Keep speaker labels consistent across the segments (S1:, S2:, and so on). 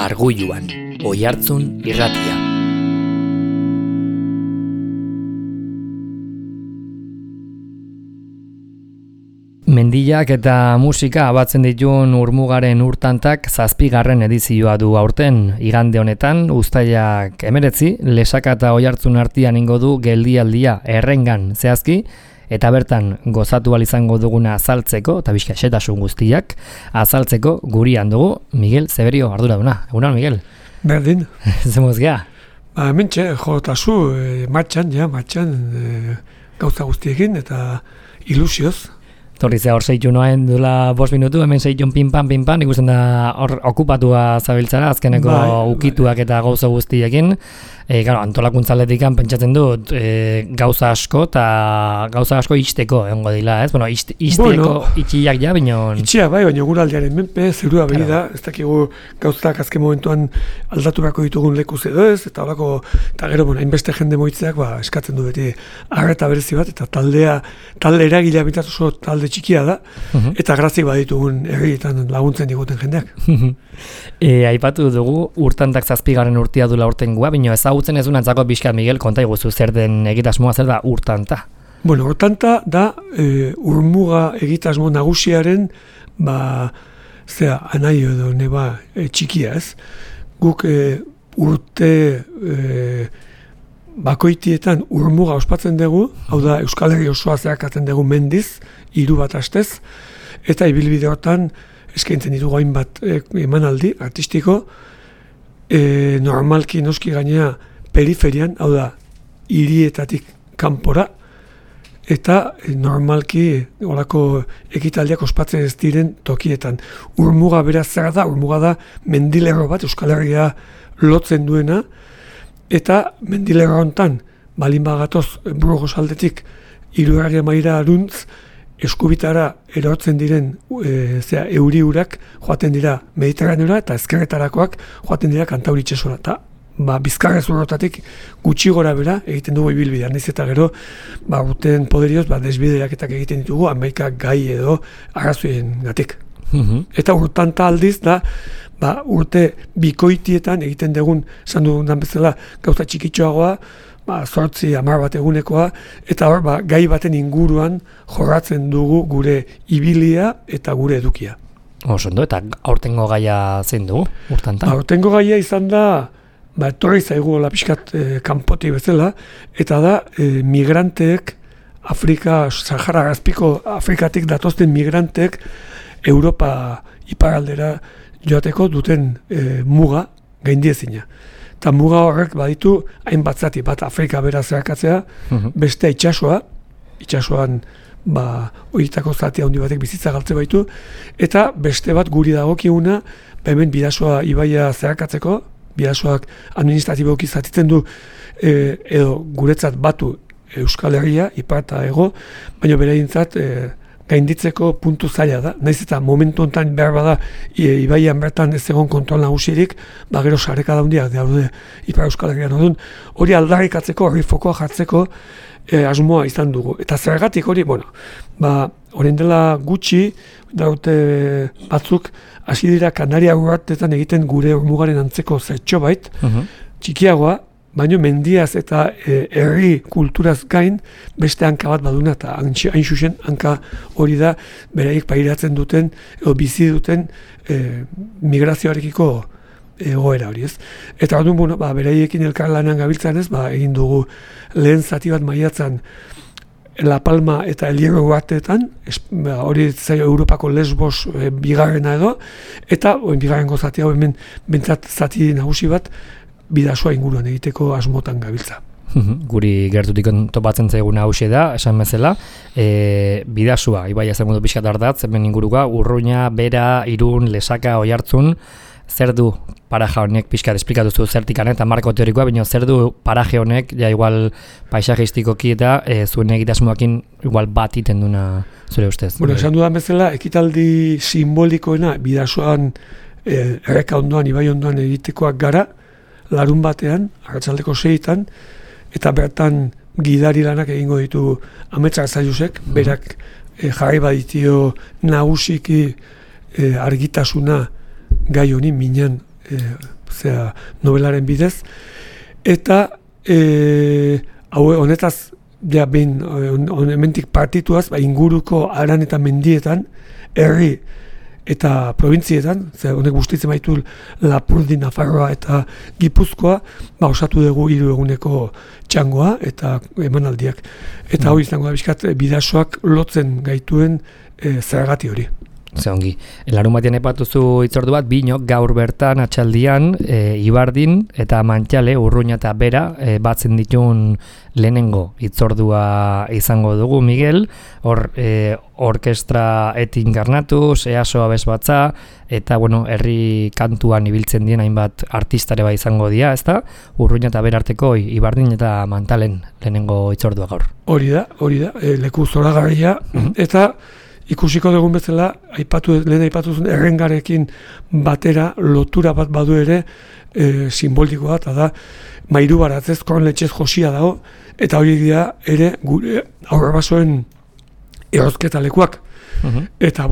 S1: Argulluan, Oihartzun irratia. Mendiak eta musika abatzen dituen Urmugaren urtantak 7. edizioa du aurten. Igande honetan, uztailak 19, Lesaka eta Oihartzun artean ingo du geldialdia Errengan zehazki, eta bertan gozatu ahal izango duguna azaltzeko, eta bizka xetasun guztiak, azaltzeko gurian dugu Miguel Zeberio arduraduna. Egunon, Miguel?
S2: Berdin.
S1: Zemoz geha?
S2: Hementxe, jotazu, martxan, gauza guztiekin eta ilusioz.
S1: Torrizea hor zeitu noain duela 5 minutu, hemen zeitu pinpan, ikusten da hor okupatua zabiltzara, azkeneko ukituak eta gauza guztiekin. Antolakuntzaletikan pentsatzen dut gauza asko eta gauza asko isteko egongo dila, ez? Bueno, isteko itxiak ja, binon...
S2: Itxia bai, baina guraldiaren menpe, zerua behi da, ez dakigu gauzak azken momentuan aldaturako ditugun lekuz edo ez, eta horako, eta gero, hainbeste jende moitzeak eskatzen du beti arreta berezi bat, eta talde eragilea bintatu oso talde txikia da, eta grazik baditugun herrietan laguntzen diguten jendeak.
S1: Aipatu dugu, urtantak 7. urtia dula urtengua, bino ezagutzen ez unantzako Bizkat Miguel, konta iguzu zer den egitasmoa, zer da urtanta?
S2: Bueno, urtanta da Urmuga egitasmo nagusiaren, anai edo neba txikia ez. Guk urte bakoitietan Urmuga ospatzen dugu, hau da Euskal Herri osoa zeharkatzen dugu mendiz, 3 bat astez, eta ibilbide hortan eskaintzen ditugu hainbat emanaldi artistiko, normalki noski gainea periferian, hau da hirietatik kanpora, eta normalki horako ekitaldiak ospatzen ez diren tokietan. Urmuga beraz zer da, Urmuga da mendilerro bat Euskal Herria lotzen duena, eta mendilerro hontan balin bagatoz Burgos aldetik Hirugarria maila aruntz, eskubitara erortzen diren euri-urak joaten dira Mediterraneora eta ezkerretarakoak joaten dira Kantauri itsasora. Eta Bizkarra zurrotatik gutxi gora bera egiten dugu ibilbidea. Naiz eta gero urteen poderioz desbideaketak egiten ditugu hamaika gai edo arrazoiengatik. Eta urtanta aldiz da urte bikoitietan egiten dugun, esan dugun bezala, gauza txikitxoagoa, 8-10 bat egunekoa, eta hor gai baten inguruan jorratzen dugu gure ibilia eta gure edukia.
S1: Osondo, eta aurtengo gaia zein dugu, urtanta?
S2: Aurtengo gaia izan da, etorri zaigu pixkat kanpoti bezala, eta da migranteek, Sahara Azpiko Afrikatik datozten migranteek Europa iparaldera joateko duten muga gaindiezina. Eta muga horrek baditu hainbat zati, bat Afrika bera zeharkatzea, beste itsasoan horietako zati handi batek bizitza galtze baitu, eta beste bat guri dagokiuna, hemen Bidasoa ibaia zeharkatzeko, Bidasoak administratiboki zatitzen du, edo guretzat batu Euskal Herria, ipar eta hego, baina bereintzat gainditzeko puntu zaila da. Naiz eta momentu honetan behar bada ibaian bertan ez egon kontrol nagusirik, gero sareka daundiak daude Ipar Euskal Herrian odun. Hori aldarrikatzeko, hori fokoa jartzeko asmoa izan dugu. Eta zergatik hori, orain dela gutxi, daute batzuk, hasi dira Kanaria urartetan egiten gure Urmugaren antzeko zertxo bait, txikiagoa, baina mendiaz eta herri kulturaz gain beste hanka bat baduna, eta hain zuzen hanka hori da beraiek pairatzen duten edo bizi duten migrazioarekiko egoera hori ez. Eta orduan, beraiekin elkarlanean gabiltzan ez, egin dugu lehen zati bat maiatzan La Palma eta El Hierro uarteetan, hori zaio Europako Lesbos bigarrena edo, eta bigarrengo zati hau hemen bentsat zati nagusi bat Bidasoa inguruan egiteko asmotan gabiltza.
S1: Guri gertutik topatzen zaiguna hauxe da, esan bezala, Bidasoa, ibaia zer modu pixkat ardatz, hemen inguruka, Urruña, Bera, Irun, Lesaka, Oihartzun, zer du paraje honek pixkat esplikatuzu zertikan eta marko teorikoa, baina zer du paraje honek, ja igual paisajistikoki eta zuen egitasmoakin igual bat iten duna zure ustez.
S2: Bueno, esan dudan bezala, ekitaldi simbolikoena Bidasoan erreka ondoan, ibai ondoan egitekoak gara, larun batean, arratsaldeko 6etan, eta bertan gidari lanak egingo ditu Amets Arzailusek, berak jarri baditio nagusiki argitasuna gai honi minan novelaren bidez, eta honetaz, ja behin hementik partituaz, inguruko aran eta mendietan, herri eta provintzietan, honek bustitzen baitu Lapurdi, Nafarroa eta Gipuzkoa, osatu dugu 3 eguneko txangoa eta emanaldiak. Eta hori izango da bizkat bidasoak lotzen gaituen zergati hori.
S1: Ze ongi. Larun batean epatuzu hitzordu bat, binok gaur bertan atxaldian Ibardin eta Mantxale, Urruña eta Bera batzen ditun lehenengo hitzordua izango dugu, Miguel. Hor orkestra etin garnatuz, EASO abesbatza, eta herri kantuan ibiltzen dien hainbat artistare bai izango dira, ezta? Urruña eta Bera arteko Ibardin eta Mantalen lehenengo hitzordua gaur.
S2: Hori da, leku zoragarria, eta ikusiko dugun bezala, lehen aipatu zuen errengarekin batera lotura bat badu ere simbolikoa, eta da mairu baratzez, kornletxez josia dago, eta hori dira ere gure aurrabasoen erozketa lekuak. Eta,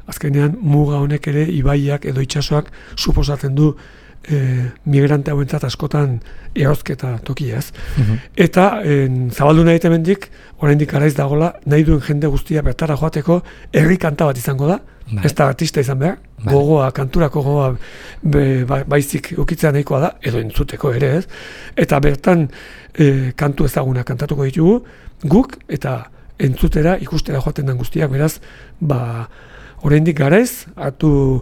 S2: azkenean muga honek ere ibaiak edo itsasoak suposatzen du migrante hauentzat askotan erozketa tokiaz. Eta zabaldu nahi hemendik, oraindik garaiz dagola, nahi duen jende guztia bertara joateko herri kanta bat izango da, ez da artista izan behar, gogoa, kanturako gogoa baizik ukitzea nahikoa da, edo entzuteko ere ez, eta bertan kantu ezaguna kantatuko ditugu, guk eta entzutera, ikustera joaten den guztiak, beraz, oraindik garaiz, hartu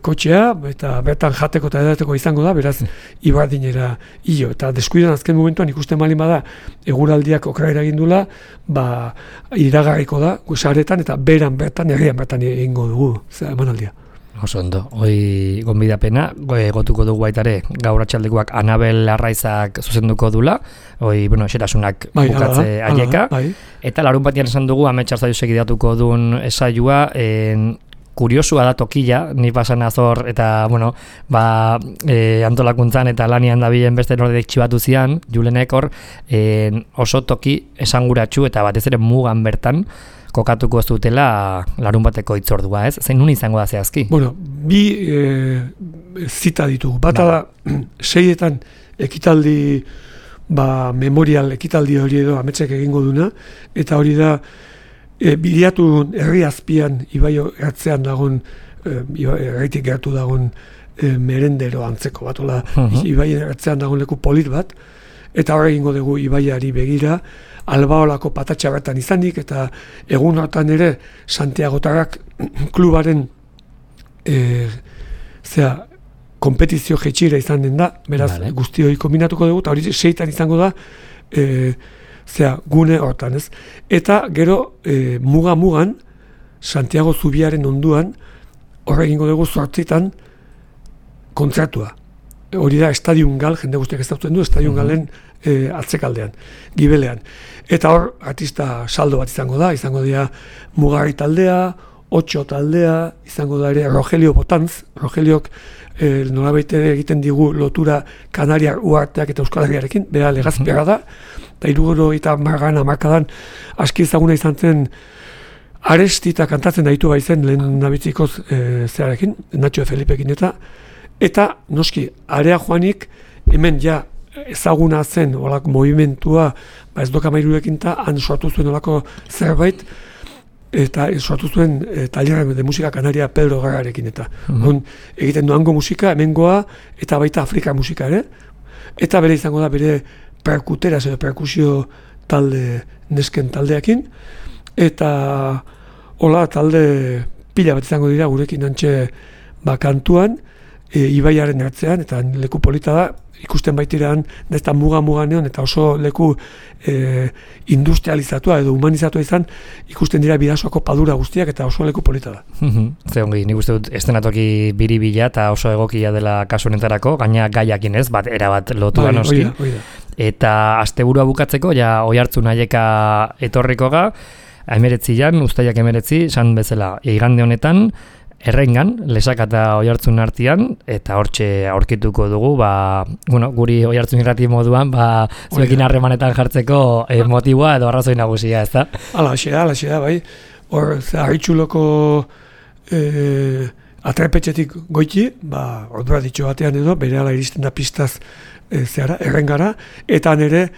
S2: kotxea, eta bertan jateko eta edateko izango da, beraz, Ibardinera hilo. Eta deskuidan azken momentuan ikusten malin bada, eguraldiak okrera egindula, iragarriko da, saretan eta bertan herrian bertan egingo dugu, emanaldia.
S1: Oso ondo, hoi gonbidapena, gotuko dugu baitare, gaur atxaldekoak Anabel Arraizak zuzenduko dula, hoi, xerasunak bukatze aieka, eta larun batian esan dugu, Amets Arzaiusek ideatuko duen esaioa, kuriosua da tokia, ni pasan azor eta, antolakuntzan eta lanian dabilen beste nordek txibatu zian, Julenek hor, oso toki esanguratsu eta batez ere mugan bertan kokatuko ez dutela larun bateko hitzordua, ez? Zein nun izango da zehazki?
S2: Bi zita ditugu. Bata da, 6etan ekitaldi, memorial ekitaldi hori edo Ametsek egingo duna, eta hori da, biliatu herri azpian, ibai ertzean dagoen, erritik gertu dagoen merendero antzeko bat, ibai ertzean dagoen leku polit bat, eta hor egingo dugu ibaiari begira, Albaolako patatxa bertan izanik, eta egun hortan ere Santiagotarrak klubaren kompetizio jetxira izan den da, beraz guzti hori kombinatuko dugu, eta hori 6etan izango da, gune hortan, ez? Eta gero muga-mugan, Santiago Zubiaren onduan, hor egingo dugu 8etan kontzertua. Hori da Estadium Gal, jende guztiak ez dautzen du, Estadium Galen atzekaldean, gibelean. Eta hor, artista saldo bat izango dira Mugarri taldea, 8 taldea, izango da ere Rogelio Botanz, Rogeliok nolabait egiten digu lotura Kanariar uarteak eta Euskal Herriarekin, bera legazpiarra da, eta 70 hamarkadan aski ezaguna izan zen Arestita kantatzen daitu baizen lehen nabitzikoz zearekin, Nacho Felipekin eta noski, area joanik hemen ja ezaguna zen olako movimentua, ez doka mairurekin eta han sortu zuen olako zerbait, eta sortu zuen taller de musika kanaria Pedro Garrarekin eta egiten duango musika, hemengoa eta baita Afrika musika ere, eta bere izango da bere perkuteraz edo perkusio talde nesken taldeakin, eta hola talde pila bat izango dira gurekin antxe kantuan, ibaiaren ertzean, eta leku polita da, ikusten baitirean, nezta muga-muganean, eta oso leku industrializatua edo humanizatua izan, ikusten dira bidasoako padura guztiak, eta oso leku polita da.
S1: Ze ongi, nik uste dut estenatoki biribila eta oso egokia dela kasu honetarako, gaina gaiakin ez, erabat lotu da noski. Eta asteburua bukatzeko, ja Oihartzun Aieka etorriko ga, 19 uztailak 19, esan bezala, igande honetan, Errengan, Lesaka eta Oihartzun artean, eta hortxe aurkituko dugu, guri Oihartzun irrati moduan, zuekin harremanetan jartzeko motiboa edo arrazoi nagusia, ez da?
S2: Alaxea, bai. Hor, Harritxuloko atrepetxetik goiti, ordura ditxo batean edo, berehala iristen da pistaz errengara, eta nire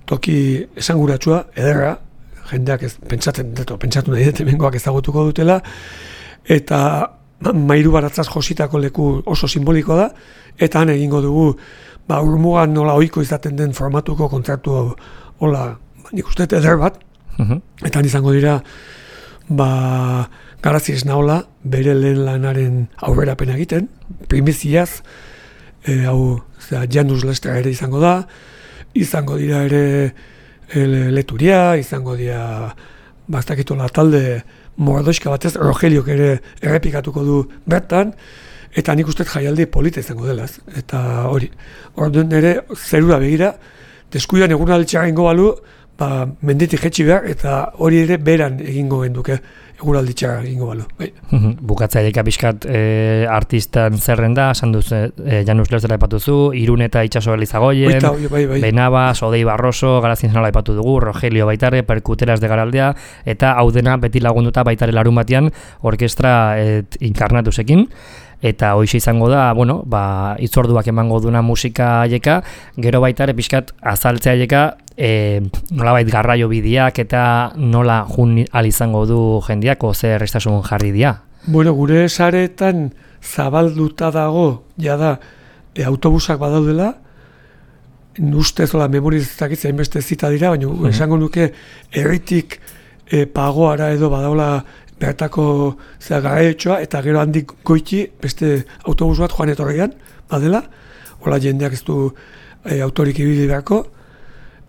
S2: toki esanguratsua, ederra, jendeak pentsatu nahi dut hemengoak ezagutuko dutela, eta mairu baratzaz jositako leku oso simboliko da, eta han egingo dugu, urmugan nola ohiko izaten den formatuko kontzertu hola, nik uste eder bat, eta izango dira, Garazi Esnaola, bere lehen lanaren aurrerapena egiten, primiziaz, Janus Lester ere izango da, izango dira ere Leturia, izango dira, bastakitola talde mordoixka batez, Rogeliok ere errepikatuko du bertan, eta nik uste jaialdi polita izango delaz. Eta hori, orduan ere zerura begira, deskuidan egun alditxarra ingo balu, menditik jetxi behar, eta hori ere beran egingo genduke. Eguralditxarra egingo balu.
S1: Bukatzaileka pixkat artistan zerrenda, esan duzu, Janus Lestera aipatuzu, Irun eta Itxaso Elizagoien, Benaba, Sodei Barroso, Garazi Esnaola aipatu dugu, Rogelio baitare, Perkuteras de Garaldea, eta hau dena beti lagunduta baitare larun batean orkestra inkarnatusekin. Eta hoxe izango da, itzorduak emango duna musika aieka, gero baitare pixkat azaltzea aieka, nolabait garraio bideak eta nola jun izango du jendeak, zer errestasun jarri dia?
S2: Gure saretan zabalduta dago, jada, autobusak badaudela, ustez memorizatak hainbeste zita dira, baina esango nuke herritik pagoara edo badaula bertako garaetxoa, eta gero handik goiti beste autobus bat joan etorrian, badela, hola jendeak ez du autorik ibili beharko,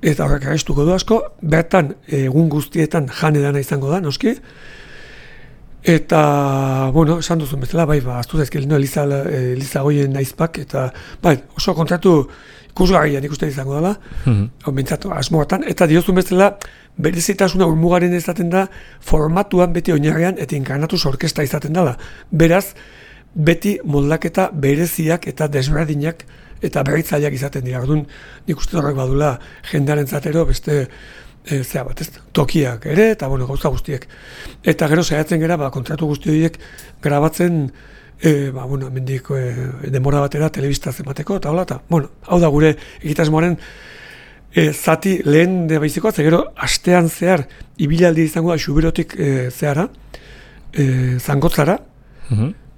S2: eta horrek arrestuko du asko, bertan egun guztietan jan edana izango da, noski, eta, esan duzun bezala, aztu zaizkil, Elizagoien naizpak, eta, oso kontratu ikusgarrian ikusten izango dela, bentsatu asmoatan, eta diozun bezala, berezitasuna urmugaren izaten da, formatuan beti oinarrian eta inkarnatuz orkesta izaten dela. Beraz, beti moldaketa bereziak eta desberdinak eta berritzaileak izaten dira. Orduan, nik uste horrek badula jendearen zatero beste tokiak ere, eta gauza guztiek. Eta gero saiatzen gera, kontratu guzti horiek grabatzen, mendik denbora batera telebistaz emateko, eta hola, hau da gure egitasmoaren zati lehen baizikoa, gero astean zehar ibilaldi izango da Xuberotik zehara, Zangotzara,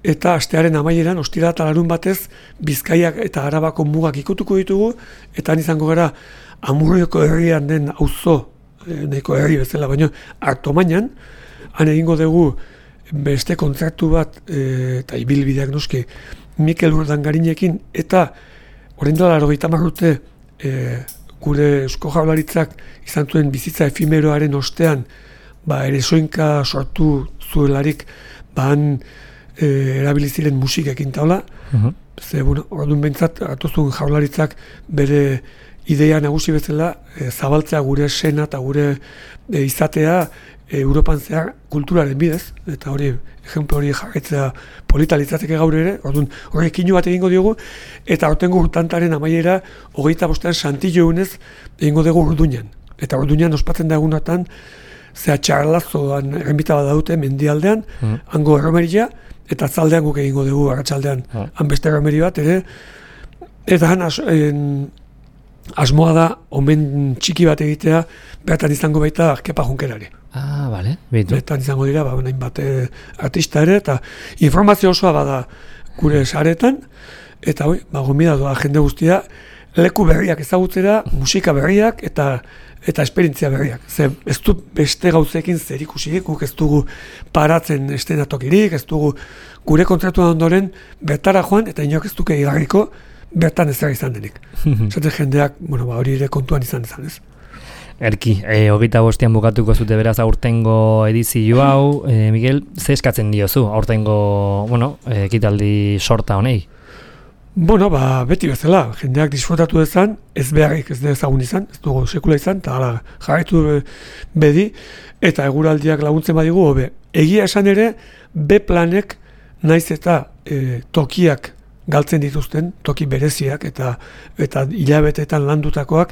S2: eta astearen amaieran, ostira eta larun batez, Bizkaiak eta Arabako mugak ikutuko ditugu, eta han izango gara Amurrioko herrian den auzo, nahiko herri bezala, baina Artomainan, han egingo dugu beste kontzertu bat, eta ibilbideak noski, Mikel Urdangarinekin, eta orain dela 80 urte, gure Eusko Jaurlaritzak izan zuen bizitza efimeroaren ostean, eresoinka sortu zuelarik, han erabiliziren musikekin taula, orduan behintzat, hartuzun Jaurlaritzak bere ideia nagusi bezala, zabaltzea gure sena eta gure izatea Europan zehar kulturaren bidez, eta hori, ejemplo hori jarraitzea polita litzateke gaur ere, orduan horrek inu bat egingo diogu, eta hortengo urtantaren amaiera, 25 Santillo egunez egingo dugu Urduñan. Eta Urduñan ospatzen da egunatan, txarlazoan erremita bat daute mendialdean, hango erromeria, eta zaldean guk egingo dugu arratsaldean han beste erromeri bat, eta han asmoa da, omen txiki bat egitea, bertan izango baita Kepa Junkerari.
S1: Bale.
S2: Bertan izango dira, nahin bat artista ere, eta informazio osoa bada gure saretan, eta gomida doa jende guztia, leku berriak ezagutzera, musika berriak, eta esperientzia berriak. Ez du beste gauzekin zer ikusirik, guk ez dugu paratzen estenatokirik, ez dugu gure kontratuan ondoren bertara joan, eta inok ez duke igarriko, bertan ez izan denik. Zaten jendeak, hori ere kontuan izan ez.
S1: Erki, 25 bukatuko zute beraz aurtengo edizio hau, Miguel, ze eskatzen diozu aurtengo, ekitaldi sorta honei?
S2: Beti bezala, jendeak disfrutatu dezan, ez beharrik ez dezagun izan, ez dugu sekula izan, eta jarraitu bedi, eta eguraldiak laguntzen badigu, hobe. Egia esan ere, B-planek naiz eta tokiak galtzen dituzten, toki bereziak eta hilabeteetan landutakoak,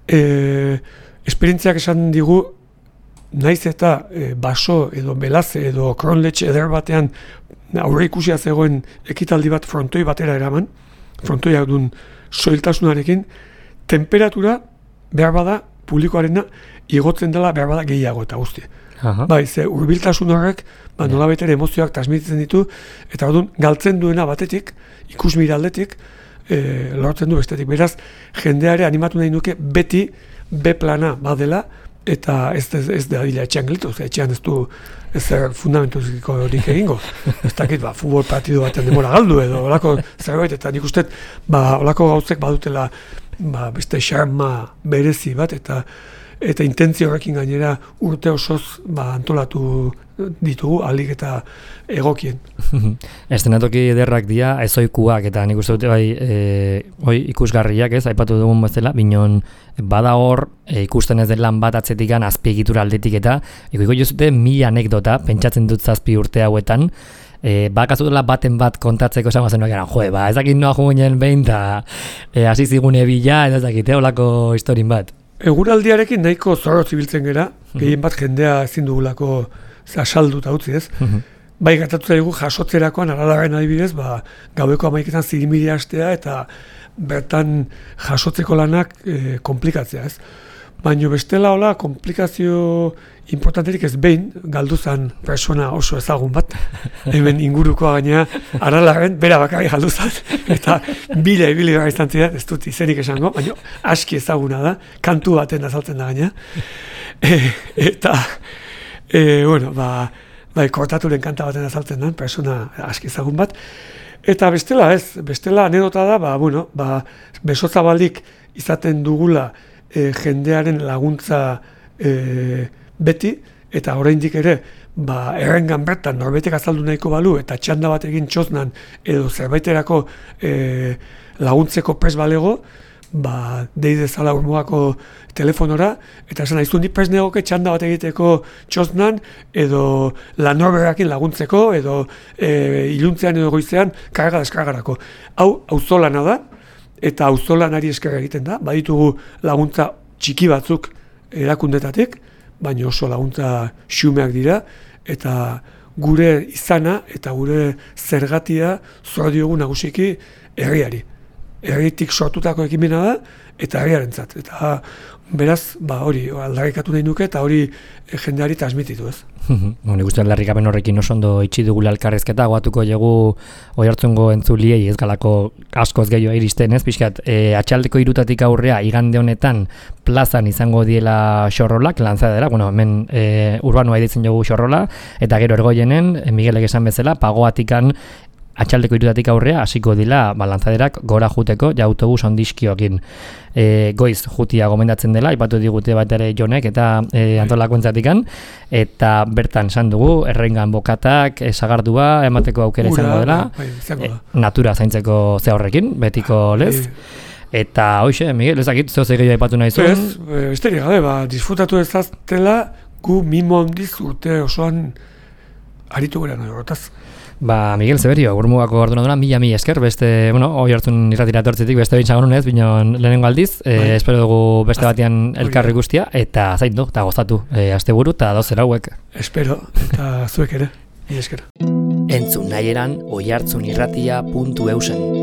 S2: esperientziak esan digu, naiz eta baso edo belaze edo kronletxe eder batean aurre ikusia zegoen ekitaldi bat frontoi batera eraman, frontoiak duen soiltasunarekin, temperatura behar bada publikoarena igotzen dela behar bada gehiago eta guzti. Bai, ze hurbiltasun horrek nolabait ere emozioak transmititzen ditu, eta orduan galtzen duena batetik, ikusmira aldetik, lortzen du bestetik. Beraz, jendeare animatu nahi nuke beti B plana badela, eta ez da dila etxean gelitu, etxean ez du ezer fundamentuziko horik egingo. Ez dakit, futbol partidu batean demora galdu edo, olako zerbait, eta nik uste, olako gauzek badutela beste xarma berezi bat, eta intentzio horrekin gainera urte osoz antolatu ditugu alik eta egokien.
S1: Eszenatoki ederrak dira ezoikuak eta nik uste dute bai ikusgarriak ez, aipatu dugun bezala, binon bada hor ikusten ez den lan bat atzetikan azpiegitura aldetik eta ikuiko jozute 1000 anekdota, pentsatzen dut 7 urte hauetan, bakazutela baten bat kontatzeko esan bazen nokeran, ez dakit noa juguen behin eta hasi zigune bila, ez dakit, olako historin bat.
S2: Eguraldiarekin nahiko zorro zibiltzen gera, gehien bat jendea ezin dugulako salduta utzi ez. Bai, gertatu zaigu jasotzerakoan, aralaren adibidez, gaueko 11etan zirimiri hastea eta bertan jasotzeko lanak komplikatzea ez. Baina bestela hola, komplikazio importanterik ez behin, galdu zan persona oso ezagun bat, hemen ingurukoa gaina aralaren, bera bakarri galdu zan, eta ibili gara izan zidan, ez dut izenik esango, baina aski ezaguna da, kantu baten azaltzen da gaina. Eta, kortaturen kanta baten azaltzen da, persona aski ezagun bat. Eta bestela anedota da, besozabalik izaten dugula jendearen laguntza beti, eta oraindik ere errengan bertan norbetek azaldu nahiko balu eta txanda bat egin txosnan edo zerbaiterako laguntzeko pres balego, deidezala urmugako telefonora, eta esan aiztu nik pres negoke txanda bat egiteko txosnan edo lanorberakin laguntzeko edo iluntzean edo goizean karga-deskargarako. Hau auzolana da, eta auzolanari esker egiten da, baditugu laguntza txiki batzuk erakundetatik, baina oso laguntza xumeak dira, eta gure izana eta gure zergatia zor diogu nagusiki herriari. Herritik sortutako ekimena da, eta herriarentzat. Eta beraz, hori aldarrikatu nahi nuke, eta hori jendeari transmititu ez.
S1: Nik uste aldarrikapen horrekin oso ondo itxi dugula elkarrezketa, goatuko jegu Oiartzungo entzuliei ez galako askoz gehiago iristen ez, pixkat, atxaldeko 3 aurrea igande honetan plazan izango diela xorrolak, lanzadera, hemen urbanoa editzen jogu xorrola, eta gero ergoienen, Miguelek esan bezala, pagoatikan atxaldeko 3 aurrea hasiko dila lanzaderak gora juteko ja autobus ondiskioekin. Goiz jutia gomendatzen dela, aipatu digute bat ere Jonek eta antolakuntzatikan, eta bertan esan dugu, errengan bokatak, sagardua, emateko aukera izango dela, natura zaintzeko ze horrekin, betiko lez. Eta hoxe, Miguel, ezakit, zeo zegei aipatu nahi zuen?
S2: Ez, esterik gabe, disfrutatu ezaztela, gu mimo handiz urte osoan aritu gara nahi horretaz.
S1: Miguel Zeberio, urmugako ordenadura, mila esker, beste, Oiartzun irratira etortzetik, beste bintzagon unez, binon lehenengo aldiz, espero dugu beste batean elkarri guztia, eta zaindu, eta gozatu, asteburu eta 12 hauek.
S2: Espero, eta zuek ere, esker.
S1: Entzun nahi eran, oiartzunirratia.eusen.